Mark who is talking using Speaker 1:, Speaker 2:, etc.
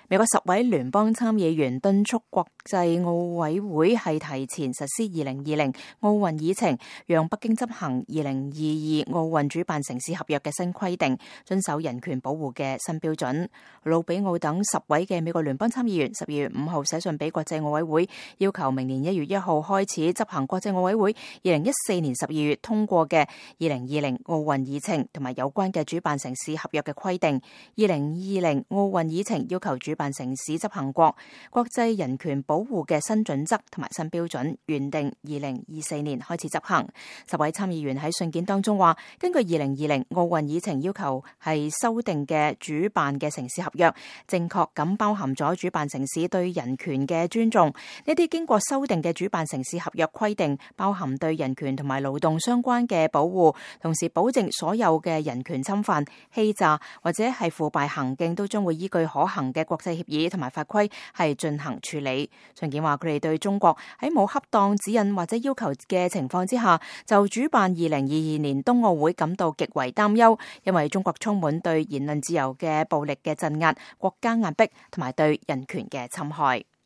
Speaker 1: 美國10位聯邦參議員敦促國際奧委會係提前實施2020奧運議程，讓北京執行2022奧運主辦城市合約嘅新規定，遵守人權保護嘅新標準。魯比奧等10位嘅美國聯邦參議員12月5號寫信俾國際奧委會，要求明年1月1號開始執行國際奧委會2014年12月通過嘅2020奧運議程同埋有關嘅主辦城市合約嘅規定。2020奧運議程要求主辦城市執行國際人權保護嘅新準則同埋新標準，原定2024年開始執行。10位參議員喺信件當中話，根據2020奧運議程要求係修訂嘅主辦嘅城市合約，正確咁包含咗主辦城市對人權嘅尊重。呢啲經過修訂嘅主辦城市合約規定，包含對人權同埋勞動相關嘅保護，同時保證所有嘅人權侵犯、欺詐或者係腐敗行徑都將會依據可行嘅國際協議同埋法規係進行處理。信件話佢哋對中國喺冇恰當指引或者要求嘅情況之下，就主辦2022年冬奧會感到極為擔憂，因為中國充滿對言論自由嘅暴力嘅鎮壓、國家壓迫同埋對人權嘅侵害。